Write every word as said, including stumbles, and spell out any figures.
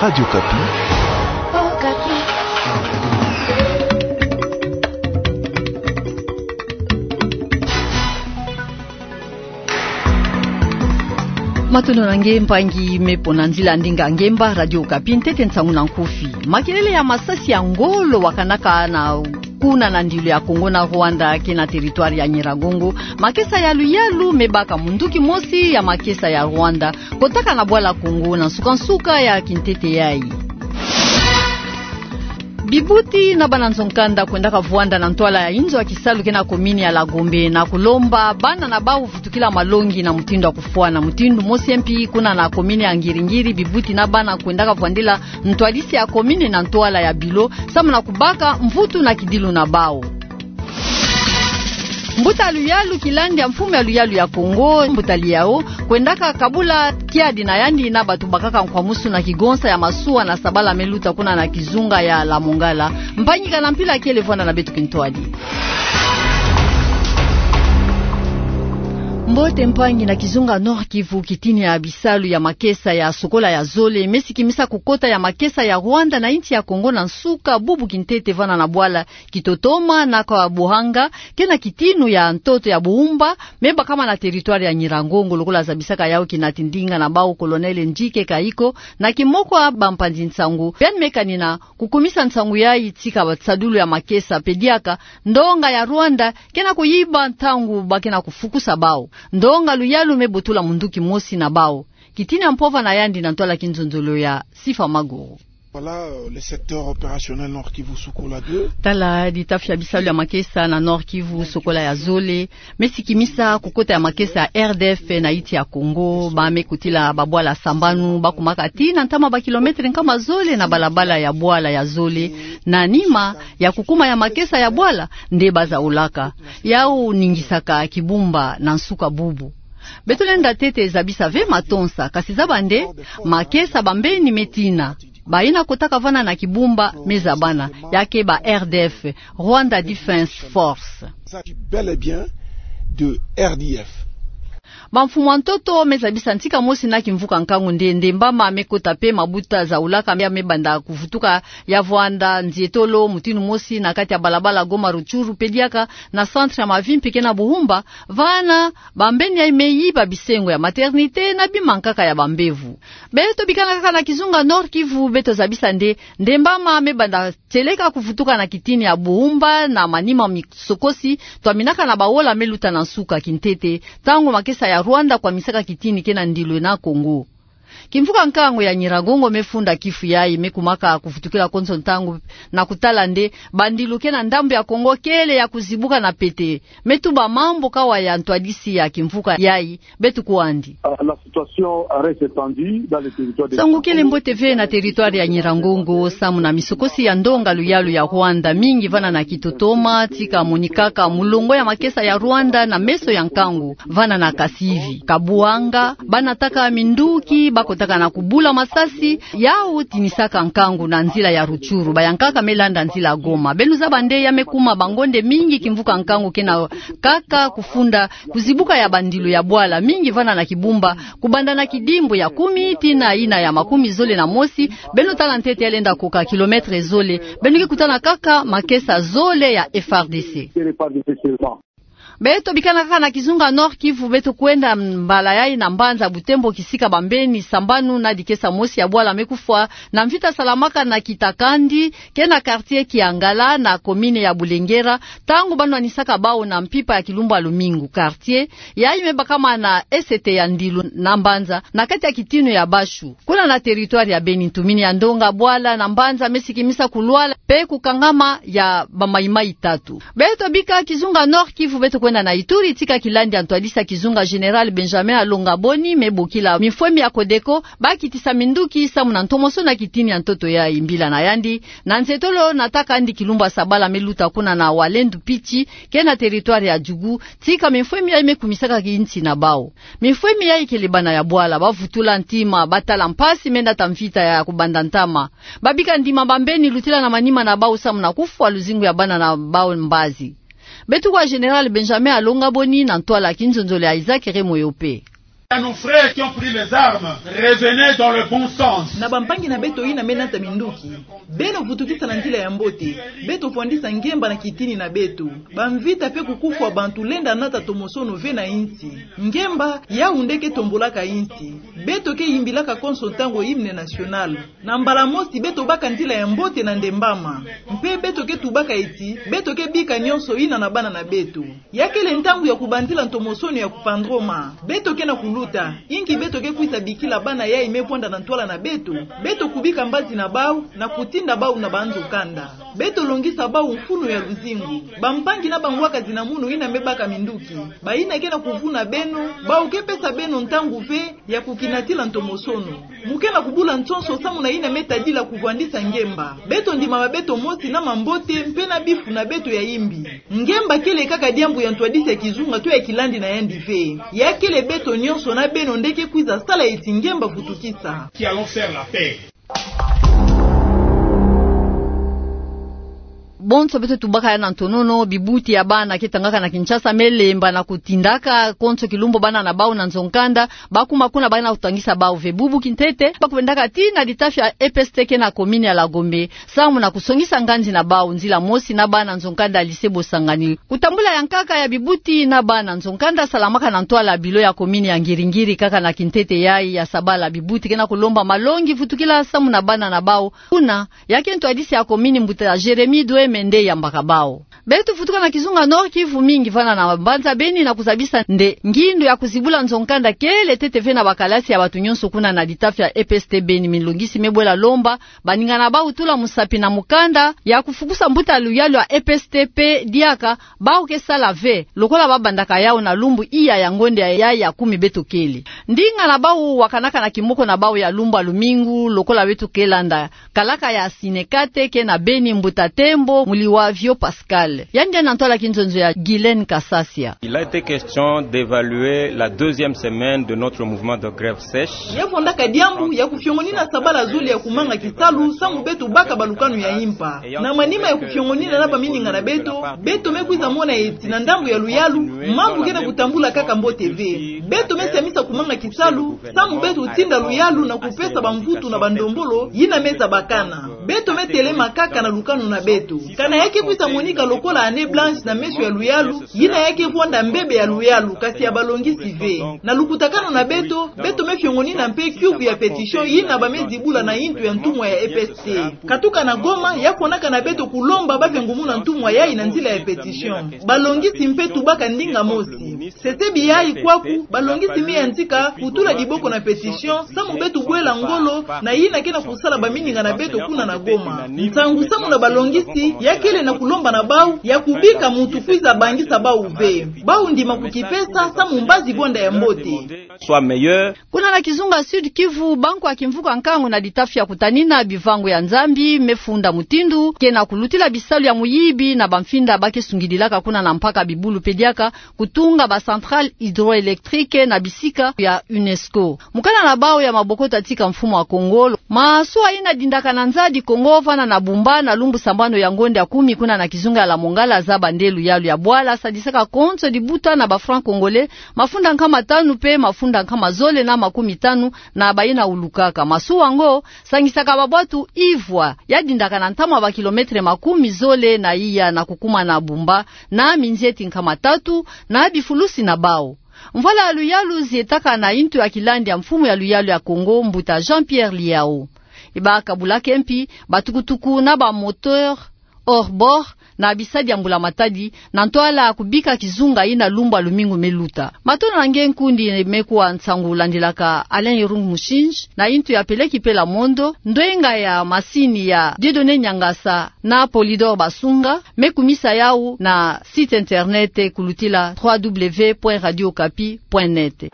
Radio Okapi. Matondo na nge mpangi me mpo na nzila ndinga ngemba Radio Okapi, ntete nsangu na nkufi. Makelele ya masasi ya ngolo wakanaka na kuna na ndilo ya Congo na Rwanda, ke na territoire ya Nyiragongo. Makesa ya luyalu me baka munduki mosi ya makesa ya Rwanda kotaka na bwala Congo na nsuka-nsuka ya kintete yayi. Bibuti na bana nzo-nkanda kwendaka vwanda na ntwala ya inzo ya kisalu ke na commune ya Lagombe na kulomba bana na bau vutukila malongi na mutindu ya kufwana. Mutindu mosi mpi kuna na commune ya Ngiri-Ngiri, bibuti na bana kwendaka vwandila ntwadisi ya commune na ntwala ya bilo, samu na kubaka mvutu na kidilu na bau. Mbuta luyalu Kilandi ya mfumu ya luyalu ya Congo, Mbuta Liao, kwendaka kabula kiadi na yandi na batu bakaka nkwamusu na kigonsa ya masuwa na sabala me luta kuna na kizunga ya Lamongala. Mpangi, ka na mpila kele, vwanda na beto kintwadi. Mbote mpangi. Na kizunga Nord-Kivu, kitini ya bisalu ya makesa ya sokola ya zole me sikimisa kukota ya makesa ya Rwanda na insi ya Congo na nsuka bubu kintete vana na bwala Kitotoma na Kabuhanga, ke na kitinu ya ntoto ya Buumba, me bakama na territoire ya Nyiragongo, lokola zabisaka yau kinati ndinga na bau Colonel Njike Kayiko, na kimoko ya bampanzi nsangu. Beno me kanina kukumisa nsangu yayi tika ba nsadulu ya makesa pe diaka ndonga ya Rwanda ke na kuyiba ntangu ba ke na kufukusa bau. Ndonga luyalu me botula munduki mosi na bau. Kitini ya mpova na yandi na ntwala kinzonzolo ya Sifa Maguru. Voilà, euh, le secteur opérationnel Nord-Kivu Sokola deux. Tala ditafi ya bisalu ya makesa na Nord-Kivu Sokola ya zole me sikimisa kukota ya makesa ya R D F na insi ya Congo. Ba me kotila babwala sambanu, ba kumaka tii na ntama ba kilomètre nkama zole na balabala ya bwala ya zole, na nima ya kukuma ya makesa ya bwala nde ba zaulaka. Yau ningisaka Kibumba na nsuka bubu. Beto lenda ntete zabisa ve matonsa, kasi zaba nde makesa bambeni me tina. Bayina kotaka vana na Kibumba me zabana, ya ke ba R D F, Rwanda Defense Force. Il s'agit bel et bien de R D F. Bamfumu ya ntoto me zabisa ntika mosi na kimvuka nkangu nde, ndembama me kota pe mabuta zaulaka ya me banda kuvutuka ya vwanda nzietolo mutinu mosi na kati ya balabala Goma Rutshuru pe diaka na centre ya Mavimpi ke na Buhumba, vana bambeni yayi me yiba bisengo ya maternité na bimankaka ya bambevo. Beto bikana kaka na kizunga Nord-Kivu, beto zabisa nde, ndembama me banda tieleka kuvutuka na kitini ya Buhumba na manima misokosi twaminaka na baola me luta na nsuka kintete, ntangu makesa ya Rwanda kwamisaka kitini ke na ndilo na Congo. Kimvuka nkangu ya Nyiragongo me funda kifu yayi, me kumaka kuvutukila konso ntangu na kutala nde bandilu ke na ndambu ya Congo kele ya kuzibuka na pete. Me tuba mambu kawa ya ntwadisi ya kimvuka yayi, beto kwandi. Ah, la situation reste tendue dans le territoire de... Nsangu kele mbote ve na territoire ya Nyiragongo, samu na misokosi ya ndonga luyalu ya Rwanda, mingi vana na Kitotoma, tika monikaka mulongo ya makesa ya Rwanda na meso ya nkangu. Vana na Kasivi, Kabuhanga, ba nataka minduki, ba kotaka na kubula masasi, yau tinisaka nkangu na nzila ya Rutshuru, bayankaka me landa nzila Goma. Beno zaba nde ya me kuma bangonde mingi kimvuka nkangu ke na kaka kufunda kuzibuka ya bandilu ya bwala, mingi vana na Kibumba, kubanda na kidimbu ya kumi tii na yina ya makumi zole na mosi. Beno tala ntete ya lenda koka kilomètre zole, beno ke kutana kaka makesa zole ya F R D C. Beto bikana kaka na kizunga Nord-Kivu, beto kwenda mbala yayi na mbanza Butembo, kisika bambeni sambanu na dikesa mosi ya bwala me kufwa na mvita salamaka na Kitakandi, ke na quartier Kiangala na commune ya Bulengera, ntangu ba nwanisaka bau na mpimpa ya kilumbu ya lumingu. Quartier yayi me bakama na esete ya ndilu na mbanza na kati ya kitinu ya Bashu, kuna na territoire ya Beni. Ntumini ya ndonga bwala na mbanza me sikimisa kulwala pe kukangama ya bamaimai tatu. Beto bika kizunga Nord-Kivu, beto kwenda na Ituri, tika kilandi ya ntwadisi ya kizunga Général Benjamin Alonga Boni me bokila mifwemi ya Codeco ba kitisa minduki samu na ntomosono ya kitini ya ntoto yayi. Mbila na yandi, na nzietolo nataka ndi kilumbu ya sabala me luta kuna na Walendu Pitshi, ke na territoire ya Djugu, tika mifwemi yayi me kumisaka kinsi na bau. Mifwemi yayi kele bana ya bwala, ba vutula ntima, ba tala mpasi me nata mvita ya kubanda ntama. Ba bika ndima bambeni lutila na manima na bau samu na kufwa luzingu ya bana na bau mbazi. Beto kwa Général Benjamin Alonga Boni na ntwala kinzonzolo ya Isaac Remoyope. À nos frères qui ont pris les armes, revenez dans le bon sens. Na bampangi na beto yina me nata minduki, beno vutukisa na nzila ya mbote. Beto fwandisa ngemba na kitini na beto. Bamvita pe kukufwa bantu lenda nata tomosono ve na insi. Ngemba, yawu nde ke tombolaka insi. Beto ke yimbilaka konso ntangu hymne national. Na mbala mosi beto baka nzila ya mbote na ndembama. Mpe beto ke tubaka eti, beto ke bika nyonso yina na bana na beto. Ya kele ntangu ya kubandila ntomosono ya kupandroma. Beto ke na kuluta, inki beto ke kwiza bikila bana yayi me vwanda na ntwala na beto? Beto kubika mbazi na bawu, na kutinda bawu na banzo kanda. Beto longisa bawu mfunu ya luzingu. Bampangi na bangwakazi na munu yina me baka minduki, bayina ke na kuvuna beno, bawu ke pesa beno ntangu ve ya kukinatila ntomosono. Mu ke na kubula nsonso samu na yina me tadila kuvwandisa ngemba. Beto ndima ba beto mosi na mambote mpe na bifu na beto ya yimbi. Ngemba kele kaka diambu ya ntwadisi ya kizunga to ya kilandi na yandi ve. Ya kele beto nyonso na beno nde ke kwiza sala eti ngemba vutukisa. Qui allons faire la paix. Bonso beto tubaka ya na ntonono, bibuti ya bana ke tangaka na Kinshasa me lemba na kutindaka konso kilumbu bana na bawu na nzo-nkanda, ba kuma kuna ba ke na kutangisa bawu ve. Bubu kintete, ba kubendaka tii na litafi ya E P S T ke na komini ya la Gombe, samu na kusongisa nganzi na bawu nzila mosi na bana nzo-nkanda ya lycée Bosangani. Kutambula ya nkaka ya bibuti na bana nzo-nkanda salamaka na ntwala bilo ya komini ya Ngiri-Ngiri kaka na kintete yayi ya sabala. Bibuti ke na kulomba malongi vutukila samu na bana na bawu. Kuna, ya ke ntwadisi ya komini mbuta Jérémie Douémé nde yambaka bawu. Beto vutuka na kizunga Nord-Kivu mingi vana na mbanza Beni na kuzabisa nde ngindu ya kuzibula nzo-nkanda kele ntete ve na bakalasi ya bato nyonso kuna na litafi ya E P S T Beni. Milongisi me bwela lomba baningana bawu tula musapi na mukanda ya kufukusa mbuta luyalu ya E P S T mpe diaka bawu ke sala ve, lokola ba bandaka yawu na lumbu iya ya ngonde ya, ya, ya kumi beto kele. Ndinga na bawu wakanaka na kimoko na bawu ya lumbu ya lumingu, lokola beto ke landa. Kalaka ya Sinekate ke na Beni, mbuta Tembo Muliwavyo Pascal. Yandi na ntwala kinzonzo ya Guylaine Kasasia. Il a été question d'évaluer la deuxième semaine de notre mouvement de grève sèche. Ya fondaka diambu ya kufiongonina sabala zole ya kumanga kisalu samu beto baka balukanu ya impa. Na manima ya kufiongonina na baminingana beto, beto me kwiza mona eti na ndambu ya luyalu, mambu ke na kutambula kaka mbote ve. Beto me siamisa kumanga kisalu, samu beto tinda luyalu na kupesa bamvutu na bandombolo yina me zabakana. Beto me telema kaka na lukanu na beto. Kana ya ke kwiza monika lokola année blanche na meso ya luyalu, yina ya ke vwanda mbebe ya luyalu, kasi ya balongisi ve. Na lukutakanu na beto, beto me fiongonina mpe kiuvu ya pétition yina ba me zibula na yintu ya ntumwa ya E P S T. Katuka na Goma, ya fondaka na beto kulomba ba vengumuna ntumwa yayi na nzila ya pétition. Balongisi mpe tubaka ndinga mosi. Sesebi yayi kwaku, balongisi me yantika kutula diboko na pétition, samu beto bwela ngolo na yina ke na kusala baminingana beto kuna na Goma. Nsangu samu na balongisi, ya kele na kulomba na bawu ya kubika muntu kwiza bangisa bawu ve. Bawu ndima kukipesa, samu mbazi vwanda ya mbote. Soit meilleur. Kuna na kizunga Sud-Kivu, banko ya kimvuka nkangu na litafi ya kutanina bivangu ya Nzambi me funda mutindu ke na kulutila bisalu ya muyibi na bamfinda ba ke sungidilaka kuna na mpaka bibulu mpe diaka kutunga ba centrale hydroélectrique na bisika ya UNESCO. Mukanda na bawu ya maboko tatika mfumu wa Kongo. Masuwa yina dindaka na nzadi Kongo vana na Bumba na lumbu sambanu ya ngonde ya kumi kuna na kizunga ya la Mongala zaba nde luyalu ya bwala sadisaka konso dibuta na ba francs congolais mafunda nkama tanu mpe mafunda nkama zole na makumi tanu na bayina ulukaka. Masuwa yango sangisaka babwatu ivwa ya dindaka na ntamu ya ba kilomètre makumi zole na iya na kukuma na Bumba na minzieti nkama tatu na bifulusi na bawu. Mvwala ya luyalu zietaka na yintu ya kilandi ya mfumu ya luyalu ya Kongo, mbuta Jean-Pierre Liao. Ibaka bulaka mpi batukutuku na ba moteur hors-bord na bisadi ya mbula-matadi na ntwala ya kubika kizunga yina lumbu ya lumingu me luta. Matondo na nge nkundi, me kuwa nsangu landilaka Alain Irung Mushinji na yintu ya peleki mpe la mondo, ndwenga ya masini ya Dieudonné Niangasa na Polydor Basunga, me kumisa yawu na site internet kulutila trois W point radio okapi point net.